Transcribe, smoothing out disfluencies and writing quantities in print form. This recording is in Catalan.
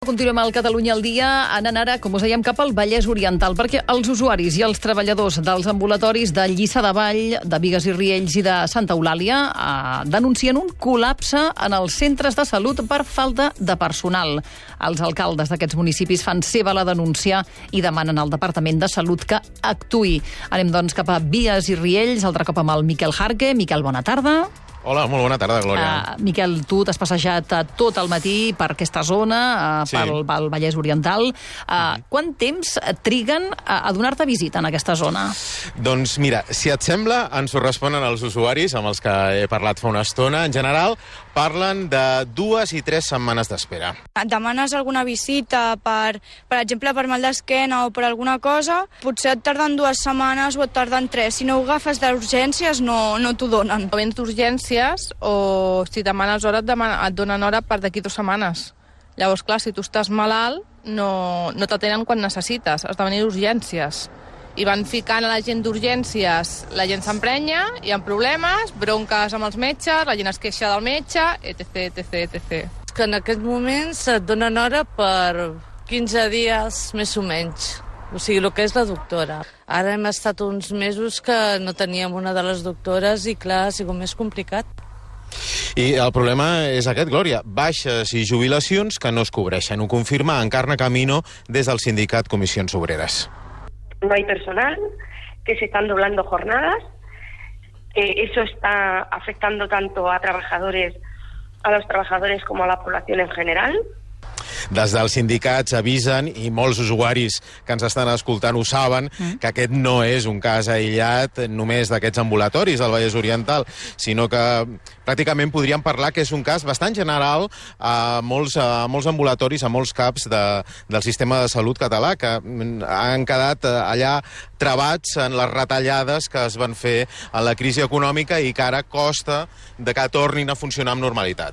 Continuem al Catalunya al dia, anant ara, com us dèiem, cap al Vallès Oriental, perquè els usuaris i els treballadors dels ambulatoris de Lliçà de Vall, de Bigues i Riells i de Santa Eulàlia denuncien un col·lapse en els centres de salut per falta de personal. Els alcaldes d'aquests municipis fan seva la denúncia i demanen al Departament de Salut que actuï. Anem, doncs, cap a Bigues i Riells, altre cop amb el Miquel Jarque. Miquel, bona tarda. Hola, molt bona tarda, Glòria. Miquel, tu t'has passejat tot el matí per aquesta zona, pel Vallès Oriental. Quant temps triguen a donar-te visita en aquesta zona? Doncs mira, si et sembla, ens ho responen els usuaris amb els que he parlat fa una estona. En general, parlen de 2 i 3 setmanes d'espera. Et demanes alguna visita, per exemple, per mal d'esquena o per alguna cosa, potser et tarden 2 setmanes o et tarden 3. Si no ho agafes d'urgències, no t'ho donen. O vens d'urgències o si demanes hora et donen hora per d'aquí 2 setmanes. Llavors, clar, si tu estàs malalt, no t'atenen quan necessites, has de venir d'urgències. I van ficant a la gent d'urgències, la gent s'emprenya, hi ha problemes, bronques amb els metges, la gent es queixa del metge, etc. Que en aquest moment et donen hora per 15 dies més o menys. O sigui, el que és la doctora. Ara hem estat uns mesos que no teníem una de les doctores i, clar, ha sigut més complicat. I el problema és aquest, Glòria, baixes i jubilacions que no es cobreixen. Ho confirma Encarna Camino des del sindicat Comissions Obreres. No hay personal, que se están doblando jornadas. Eso está afectando tanto a los trabajadores como a la población en general. Des dels sindicats avisen, i molts usuaris que ens estan escoltant ho saben, que aquest no és un cas aïllat només d'aquests ambulatoris del Vallès Oriental, sinó que pràcticament podríem parlar que és un cas bastant general a molts ambulatoris, a molts CAPs del sistema de salut català, que han quedat allà travats en les retallades que es van fer en la crisi econòmica i que ara costa de que tornin a funcionar amb normalitat.